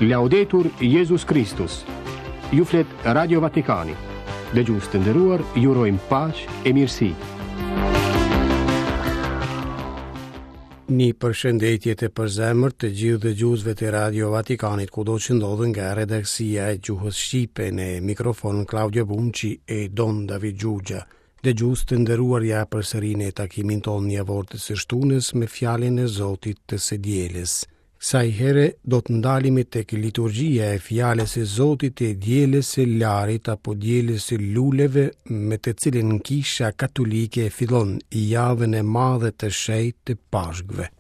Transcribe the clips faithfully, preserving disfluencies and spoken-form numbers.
Laudetur Jezus Kristus. Ju flet Radio Vatikani. Dëgjues të nderuar, ju urojmë paqe e mirësi. Një përshëndetje të përzemërt të gjithë dëgjuesve të Radio Vatikanit kudo që ndodhen nga redaksia e gjuhës shqipe në mikrofon Claudio Bunci e Don David Gjugja. Dëgjues të nderuar, ja përsëri në takimin tonë javor të së shtunës me fjalën e Zotit të së dielës. Kësaj here do të ndalemi tek liturgjia e fjalës së Zotit e dielës së Larit apo dielës së luleve, me të cilën Kisha Katolike fillon javën e madhe të shenjtë të Pashkëve.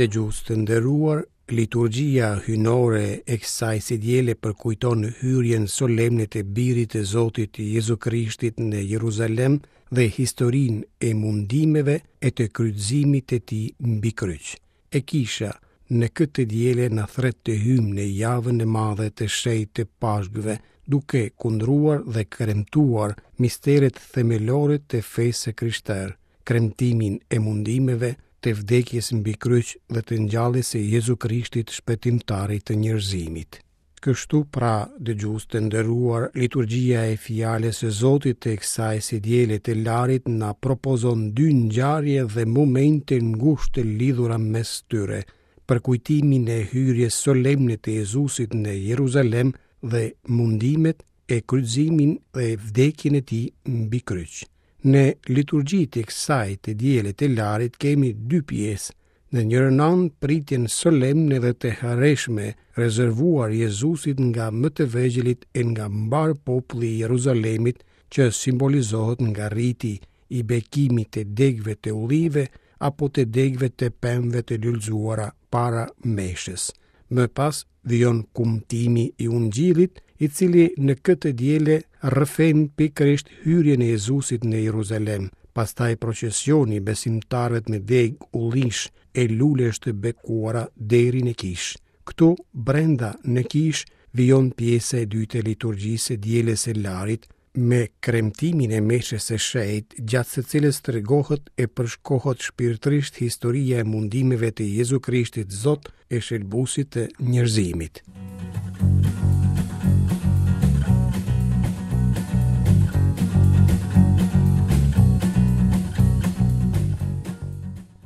Dëgjues të nderuar, liturgjia hyjnore e kësaj së diele përkujton hyrjen solemne të Birit të Zotit Jezu Krishtit në Jeruzalem dhe historinë e mundimeve e të kryqëzimit të tij mbi kryq. E kisha në këtë diele na thret të hyjmë në javën e madhe të shenjtë të Pashkëve, duke kundruar dhe kremtuar misteret themelore të fesë së krishterë, kremtimin e mundimeve, të vdekjes mbi kryq dhe të ngjalljes së Jezu Krishtit, shpëtimtarit të njerëzimit. Kështu pra, dëgjues të nderuar, liturgjia e fjalës së Zotit të kësaj së diele të Larit na propozon dy ngjarje dhe momente ngushtë të lidhura mes tyre: përkujtimin e hyrjes solemne të Jezusit në Jeruzalem dhe mundimet e kryqëzimin dhe vdekjen e tij mbi kryq. Në liturgjitë e kësaj të diele të Larit kemi dy pjesë. Në njërën anë pritjen solemne dhe të hareshme rezervuar Jezusit nga më të vegjëlit e nga mbar populli i Jeruzalemit, që simbolizohet nga riti i bekimit të degëve të ullive apo të degëve të pemëve të lulëzuara para meshës. Më pas vijon kumtimi i Ungjillit, i cili në këtë diele rrëfen pikërisht hyrjen e Jezusit në Jeruzalem, pastaj procesioni i besimtarëve me degë ullish e lulesh të bekuara deri në kishë. Këtu brenda në kishë vijon pjesa e dytë e liturgjisë së dielës së Larit me kremtimin e meshës së shenjtë, gjatë së cilës tregohet e përshkohet shpirtërisht historia e mundimeve të Jezu Krishtit Zot e shëlbuesit të njerëzimit.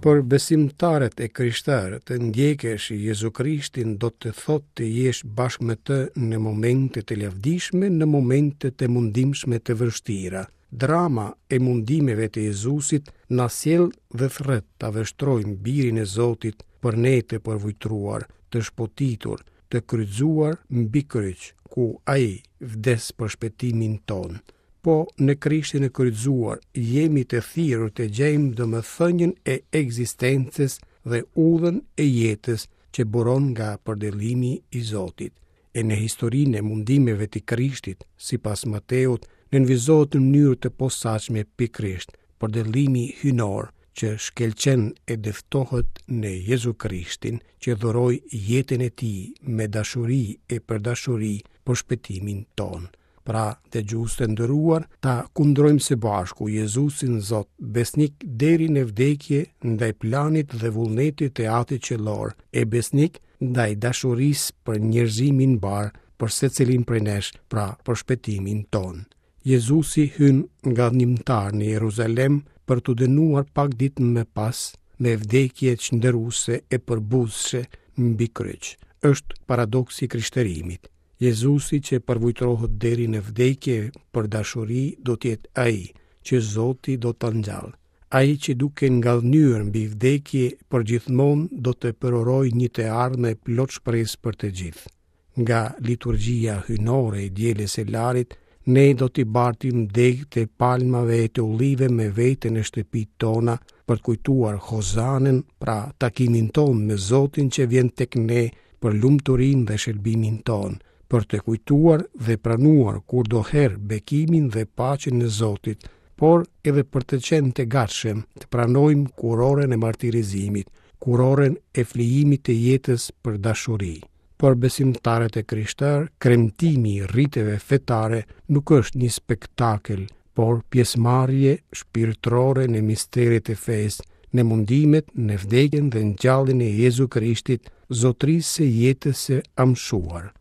Për besimtarët e krishterë, të ndjekësh Jezu Krishtin do të thotë të jesh bashkë me të në momente të lavdishme, në momente të mundimshme të vështira. Drama e mundimeve të Jezusit na sjell dhe thret ta vështrojmë birin e Zotit për ne të përvujtruar, të shpotitur, të kryqëzuar mbi kryq, ku ai vdes për shpëtimin tonë. Po në Krishtin e kryqëzuar jemi të thirrur të gjejmë domethënien e ekzistencës dhe udhën e jetës që buron nga përdëllimi i Zotit. E në historinë e mundimeve të Krishtit, sipas Mateut, nënvizohet në mënyrë të posaçme pikërisht përdëllimi hyjnor që shkëlqen e dëftohet në Jezu Krishtin, që dhuroi jetën e tij me dashuri e për dashuri për shpëtimin tonë. Pra, dëgjues të nderuar, ta kundrojmë së bashku Jezusin Zot, besnik deri në vdekje ndaj planit dhe vullnetit të Atit Qiellor, e besnik ndaj dashurisë për njerëzimin mbar, për secilin prej nesh, pra për shpëtimin tonë. Jezusi hyn ngadhnjimtar në Jeruzalem për t'u dënuar pak ditë më pas me vdekje çnderuese e përbuzshme mbi kryq. Është paradoksi i krishterimit. Jezusi që përvujtrohet deri në vdekje për dashuri do të jetë ai që Zoti do ta ngjallë. Ai që duke ngadhnyer mbi vdekje përgjithmonë do të përurojë një të ardhme plot shpresë për të gjithë. Nga liturgjia hyjnore e dielës së Larit, ne do t'i bartim degët e palmave e të ullive me vete në shtëpitë tona për të kujtuar Hozanën, pra takimin tonë me Zotin që vjen tek ne për lumturinë dhe shërbimin tonë, për të kujtuar dhe pranuar kurdoherë bekimin dhe paqen e Zotit, por edhe për të qenë të gatshëm të pranojmë kurorën e martirizimit, kurorën e flijimit të jetës për dashuri. Për besimtarët e krishterë, kremtimi i riteve fetare nuk është një spektakël, por pjesëmarrje shpirtërore në misteret e fesë, në mundimet, në vdekjen dhe ngjalljen e Jezu Krishtit, zotërisë së jetës së amshuar.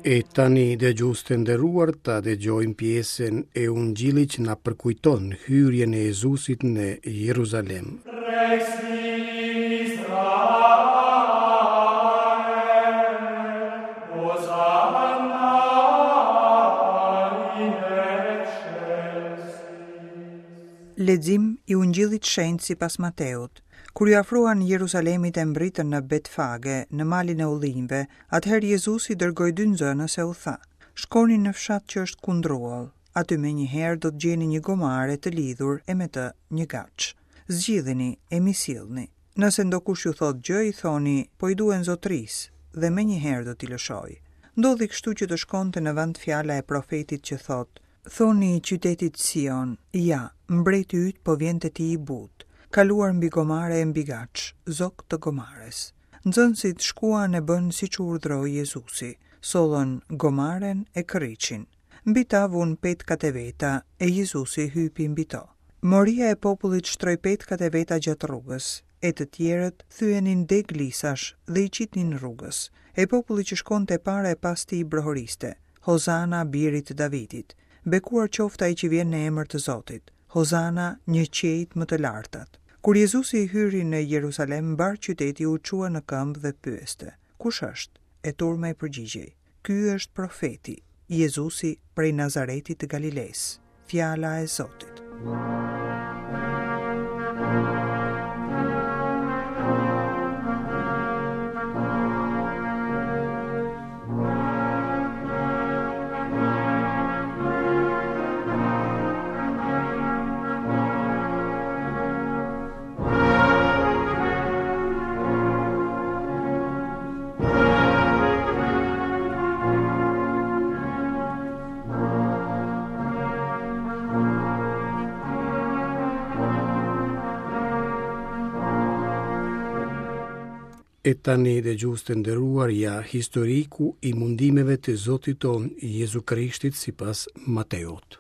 E tani dëgjues të nderuar, ta dëgjojmë pjesën e Ungjillit që na përkujton hyrjen e Jezusit në Jeruzalem. Lexim i Ungjillit Shenjt sipas Mateut. Kur ju afruan Jeruzalemit e mbritën në Betfage, në malin e ullinjve, atëherë Jezusi dërgoi dy nxënës e u tha: Shkoni në fshat që është kundruall, aty më njëherë do të gjeni një gomare të lidhur e me të një gaç. Zgjidhini e mi sillni. Nëse ndokush ju thot gjë, i thoni, po i duen zotris, dhe më njëherë do t'i lëshoj. Ndodhi kështu që të shkonte në vend fjala e profetit që thot: Thoni qytetit Sion, ja, mbreti yt po vjen te ti i butë, kaluar mbi gomare e mbi gaç, zog të gomares. Nxënësit shkuan e bën siç u urdhroi Jezusi, sollën gomaren e kërriçin. Mbi ta vun petkat e veta e Jezusi hypi mbi to. Moria e popullit shtroi petkat e veta gjatë rrugës, e të tjerët thyenin degë lisash dhe i qitnin rrugës. E populli që shkonte para e pas tij brohoriste: Hozana birit të Davidit, bekuar qoftë ai që vjen në emër të Zotit. Hozana një qiejt më të lartat. Kur Jezusi hyri në Jeruzalem, mbar qyteti u çua në këmbë dhe pyeste: Kush është? E turma i përgjigjej: Ky është profeti, Jezusi prej Nazaretit të Galilesë. Fjala e Zotit. E tani dëgjues të nderuar, ja historiku i mundimeve të Zotit ton Jezu Krishtit sipas Mateut.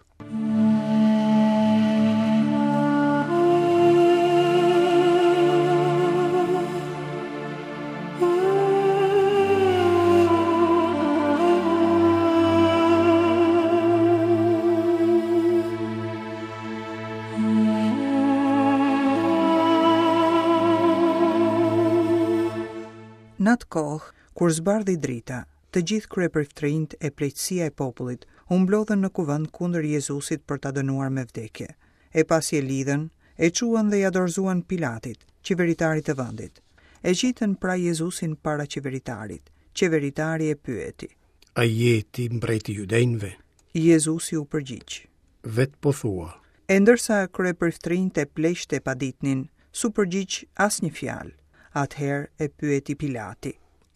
Në atë kohë, kur zbardhi drita, të gjithë kryepriftrinjt e pleqësia e popullit u mblodhën në kuvend kundër Jezusit për ta dënuar me vdekje. E pasi e lidhën, e çuan dhe ja dorëzuan Pilatit, qeveritarit të vendit. E qitën pra Jezusin para qeveritarit. Qeveritari e pyeti: A je ti mbreti i judenjve? Jezusi u përgjigj: Vet po thua. E ndërsa kryepriftrinjt e pleqtë e paditnin, s'u përgjigj asnjë fjalë. Atëherë e pyeti Pilati: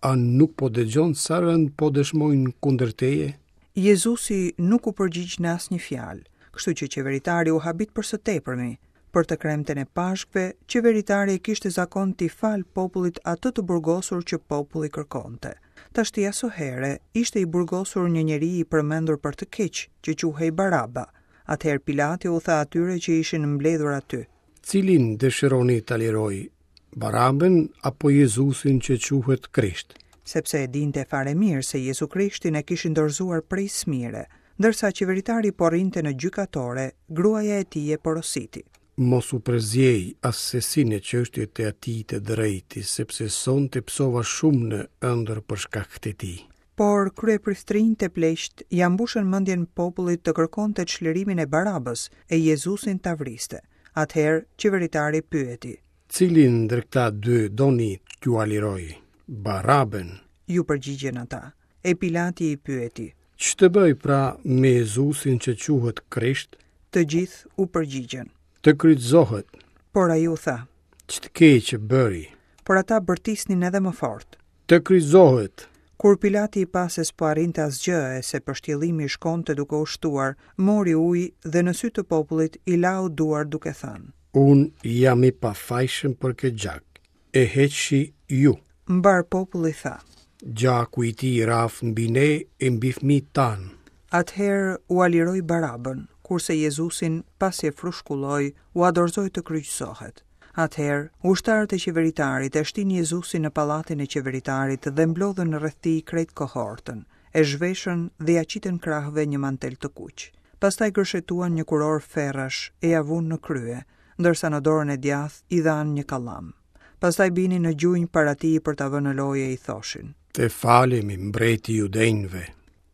A nuk po dëgjon sa rënd po dëshmojnë kundër teje? Jezusi nuk u përgjigj në asnjë fjalë, kështu që qeveritari u habit për së tepërmi. Për të kremten e Pashkëve, qeveritari e kishte zakon t'i fal popullit atë të burgosur që populli kërkonte. Tashti asohere ishte i burgosur një njeri i përmendur për të keq, që quhej Baraba. Atëherë Pilati u tha atyre që ishin mbledhur aty: Cilin dëshironi ta liroj, Barabën apo Jezusin që quhet Krisht? Sepse e dinte fare mirë se Jezu Krishtin e kishin dorëzuar prej smire, ndërsa qeveritari po rrinte në gjykatore, gruaja e tij e porositi: Mos u përzjej assesi në çështjet e atij të drejti, sepse sonte psova shumë në ëndër për shkak të tij. Por kryepriftrinjt e pleqt ja mbushën mendjen popullit të kërkonte çlirimin e Barabës e Jezusin ta vriste. Atëherë qeveritari pyeti: Cilin ndër këta dy doni t'jua liroj? Barabën. Ju përgjigjen ata. E Pilati i pyeti: Ç'të bëj pra me Jezusin që quhet Krisht? Të gjithë u përgjigjen: Të kryqëzohet. Por ai u tha: Ç'të keq bëri? Por ata bërtisnin edhe më fort: Të kryqëzohet. Kur Pilati i pa se s'po arrinte asgjë e se pështjellimi shkonte duke u shtuar, mori ujë dhe në sy të popullit i lau duart duke thënë: Unë jam i pafajshëm për këtë gjak. E heqshi ju. Mbar populli tha: Gjaku i tij raftë mbi ne e mbi fëmijët tanë. Atëherë ua liroi Barabën, kurse Jezusin, pasi e frushkulloi, ua dorëzoi të kryqëzohet. Atëherë, ushtarët e qeveritarit e shtinë Jezusin në pallatin e qeveritarit dhe mblodhën rreth tij krejt kohortën, e zhveshën dhe ja qitën krahëve një mantel të kuq. Pastaj gërshetuan një kurorë ferrash e ja vunë në krye, ndërsa në dorën e djathtë i dhanë një kallam. Pastaj binin në gjunjë para tij për ta vënë në lojë e i thoshin: Të falemi, mbreti i judenjve.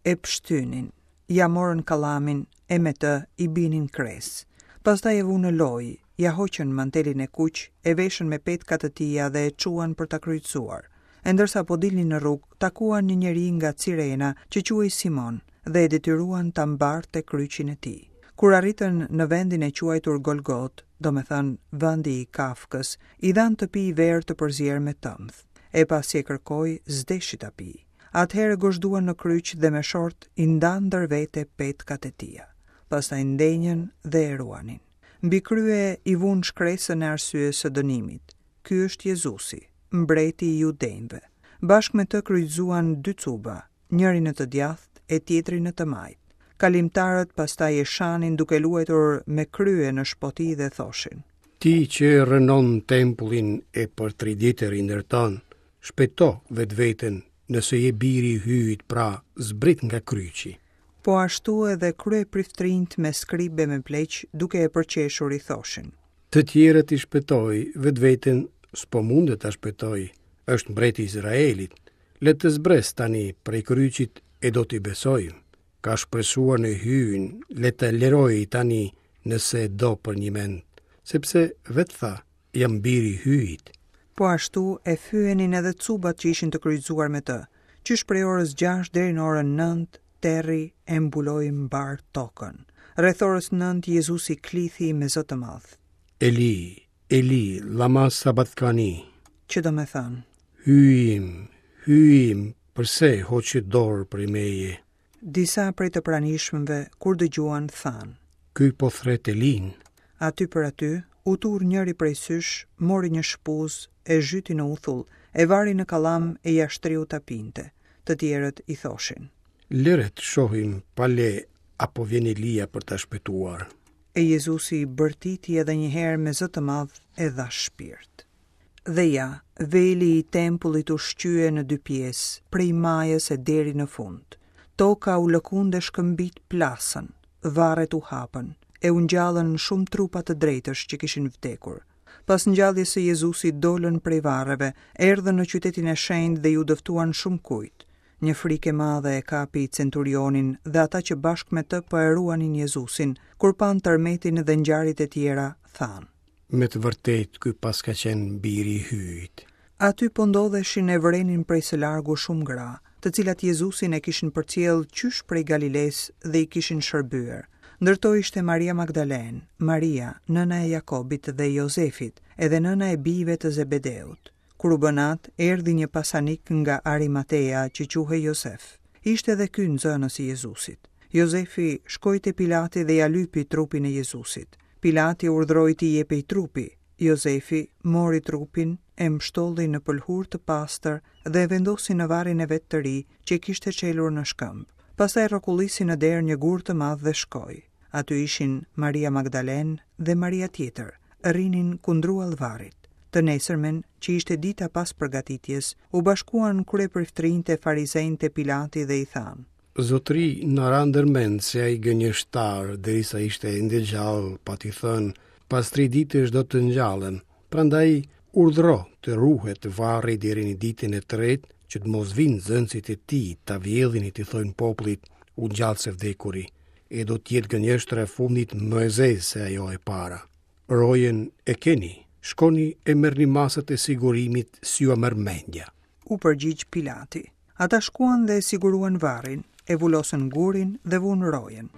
E pshtynin, ja morën kallamin e me të i binin kres. Pastaj e vunë në lojë, ja hoqën mantelin e kuq, e veshën me petka të tija dhe e çuan për ta kryqëzuar. E ndërsa po dilnin në rrugë, takuan një njeri nga Cirena që quhej Simon dhe e detyruan ta mbarte kryqin e tij. Kur arritën në vendin e quajtur Golgot, domethënë vendi i Kafkës, i dhanë të pijë verë të përzier me tëmth. E pasi e kërkoi, s'deshi ta pijë. Atëherë gozhduan në kryq dhe me short i ndanë ndër vete petkat e tija. Pastaj ndenjën dhe e ruanin. Mbi krye i vunë shkresën e arsyes së dënimit. Ky është Jezusi, mbreti i judenjve. Bashkë me të kryqëzuan dy cuba, njëri në të djathtë e tjetri në të majtë. Kalimtarët pastaj e shanin duke luajtur me krye në shpoti dhe thoshin: Ti që rrënon tempullin e për tri ditë e rindërton, shpëto vetveten, nëse je biri i Hyjit, pra zbrit nga kryqi. Po ashtu edhe kryepriftrinjt me skribe me pleq, duke e përqeshur i thoshin: Të tjerët i shpëtoi, vetveten s'po mundet ta shpëtoj. Është mbreti i Izraelit. Le të zbres tani prej kryqit e do t'i besojmë. Ka shpresuar në Hyjin, le të liroj tani nëse do për një mend, sepse vetë tha, jam biri i Hyjit. Po ashtu e fyenin edhe cubat që ishin të kryqëzuar me të, qysh prej orës gjashtë deri në orën nëntë, terri e mbuloi mbar tokën. Rreth orës nëntë Jezusi klithi me zë të madh: Eli, Eli, lama sabatkani, që do me thënë: Hyji im, Hyji im, përse hoqi dorë prej meje? Disa prej të pranishmëve, kur dëgjuan, thanë: Ky po thret Elin. Aty për aty, u tur njëri prej sysh, mori një shpuzë, e zhyti në uthull, e vari në kallam e ja shtriu ta pinte. Të tjerët i thoshin: Lëre të shohim pale apo vjen Elia për ta shpëtuar. E Jezusi bërtiti edhe një herë me zë të madh e dha shpirt. Dhe ja, veli i tempullit u shqye në dy pjesë, prej majës e deri në fund. Toka u lëkund e shkëmbit plasën, varret u hapën, e u ngjallën shumë trupa të drejtësh që kishin vdekur. Pas ngjalljes së Jezusit dolën prej varreve, erdhën në qytetin e shenjtë dhe ju dëftuan shumë kujt. Një frikë e madhe e kapi centurionin dhe ata që bashkë me të po e ruanin Jezusin, kur panë tërmetin dhe ngjarjet e tjera, thanë: Me të vërtetë ky paska qenë biri i Hyjit. Aty po ndodheshin e vërenin prej së largu shumë gra, të cilat Jezusin e kishin përcjellë qysh prej Galilesë dhe i kishin shërbyer. Ndër to ishte Maria Magdalen, Maria, nëna e Jakobit dhe Jozefit, edhe nëna e bijve të Zebedeut. Kur u bë natë, erdhi një pasanik nga Arimatea që quhej Jozef. Ishte edhe ky nxënës i Jezusit. Jozefi shkoi te Pilati dhe ja lypi trupin e Jezusit. Pilati urdhëroi t'i jepej trupi. Jozefi mori trupin, e mbshtolli në pëlhurë të pastër dhe e vendosi në varrin e vet të ri që e kishte çelur në shkëmb. Pastaj rrokullisi në derë një gur të madh dhe shkoi. Aty ishin Maria Magdalen dhe Maria tjetër, rrinin kundruall varrit. Të nesërmen, që ishte dita pas përgatitjes, u bashkuan kryepriftrinjtë e farisenjtë e Pilati dhe i thanë: Zotri, na ra ndërmend se ai gënjeshtar, derisa ishte ende gjallë, pati thënë: pas tri ditësh do të ngjallem. Prandaj urdhro të ruhet varri deri në ditën e tretë, që të mos vinë nxënësit e tij ta vjedhin e t'i thonë popullit: u ngjall së vdekuri, e do të jetë gënjeshtra e fundit më e zezë se ajo e para. Rojen e keni, shkoni e merrni masat e sigurimit si jua merr mendja. U përgjigj Pilati. Ata shkuan dhe e siguruan varrin, e vulosën gurin dhe vunë rojen.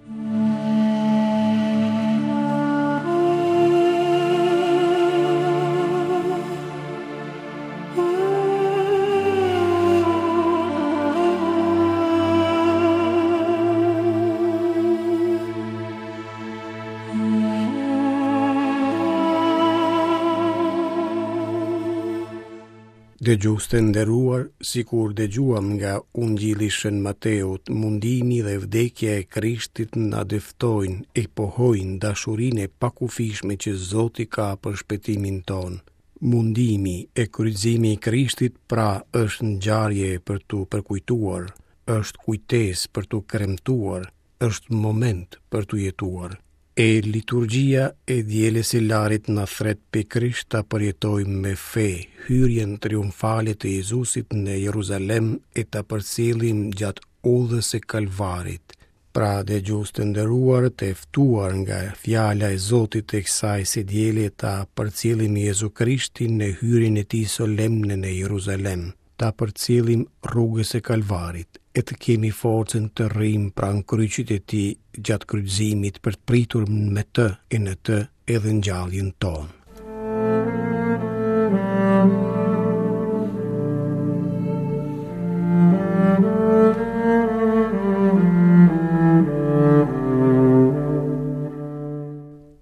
Dëgjues të nderuar, sikur dëgjuam nga Ungjilli Shën Mateut, mundimi dhe vdekja e Krishtit na dëftojnë e pohojnë dashurinë e pakufishme që Zoti ka për shpëtimin tonë. Mundimi e kryqëzimi i Krishtit pra është ngjarje për t'u përkujtuar, është kujtesë për t'u kremtuar, është moment për t'u jetuar. E liturgjia e dielës së Larit na thret pikërisht ta përjetojmë me fe hyrjen triumfale të Jezusit në Jeruzalem e ta përcjellim gjatë udhës së Kalvarit. Pra, dëgjues të nderuar, të ftuar nga fjala e Zotit të kësaj së diele ta përcjellim Jezu Krishtin në hyrjen e tij solemne në Jeruzalem, ta përcjellim rrugës së Kalvarit e të kemi forcën të rrimë pranë kryqit e tij gjatë kryqëzimit për të pritur me të e në të edhe ngjalljen tonë.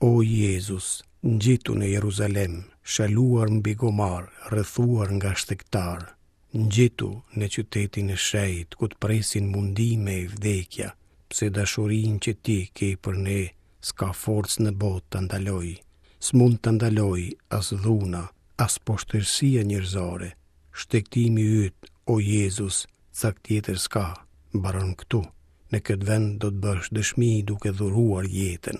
O Jezus, ngjitu në Jeruzalem, shaluar mbi gomar, rrethuar nga shtegtar, ngjitu në qytetin e shenjtë, ku të presin mundime e vdekja, pse dashurinë që ti ke për ne, s'ka forcë në botë ta ndaloj, s'mund ta ndaloj as dhuna, as poshtërsia njerëzore. Shtegtimi yt, o Jezus, cak tjetër s'ka, mbaron këtu. Në këtë vend do të bësh dëshmi duke dhuruar jetën.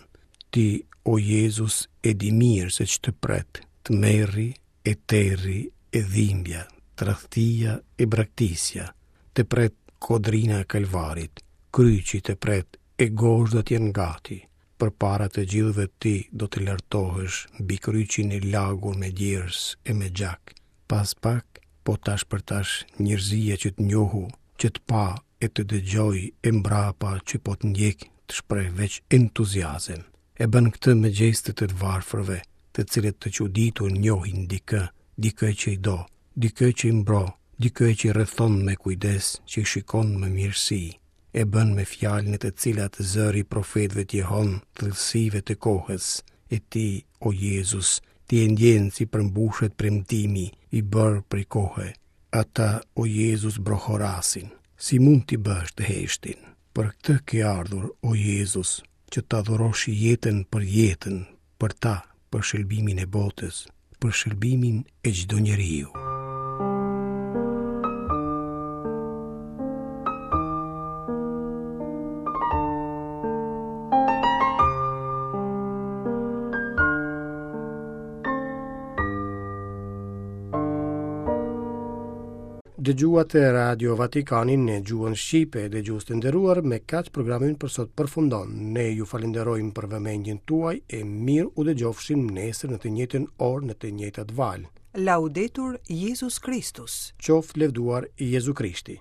Ti, o Jezus, e di mirë se ç'të pret, tmerri e terri e dhimbja, tradhtia e braktisja, të pret kodrina e Kalvarit, kryqi të pret e gozhdat janë gati. Përpara të gjithëve ti do të lartohesh mbi kryqin e lagur me djersë e me gjak. Pas pak, po tash për tash, njerëzia që të njohu, që të pa e të dëgjoj e mbrapa që po të ndjek, të shpreh veç entuziazëm. E bën këtë me gjestet të të varfërve, të cilët të çuditur njohin dikë, dikë që i do, dikë që i mbro, dikë që i rrethon me kujdes, që i shikon me mirësi. E bën me fjalën e të cilat zëri i profetëve të jehon thellësive të kohës. E ti, o Jezus, ti e ndjen si përmbushet premtimi i bërë prej kohe. Ata, o Jezus, brohorasin. Si mund t'i bësh të heshtin? Për këtë ke ardhur, o Jezus, që ta dhurosh jetën për jetën, për ta, për shërbimin e botës, për shërbimin e çdo njeriu. Dëgjuat Radio Vatikanin në gjuhën shqipe, dëgjues të nderuar, me kaq programi për sot përfundon. Ne ju falenderojmë për vëmendjen tuaj e mirë u dëgjofshim nesër në të njëjtën orë në të njëjtat valë. Laudetur Jezus Kristus. Qoftë lëvduar Jezu Krishti.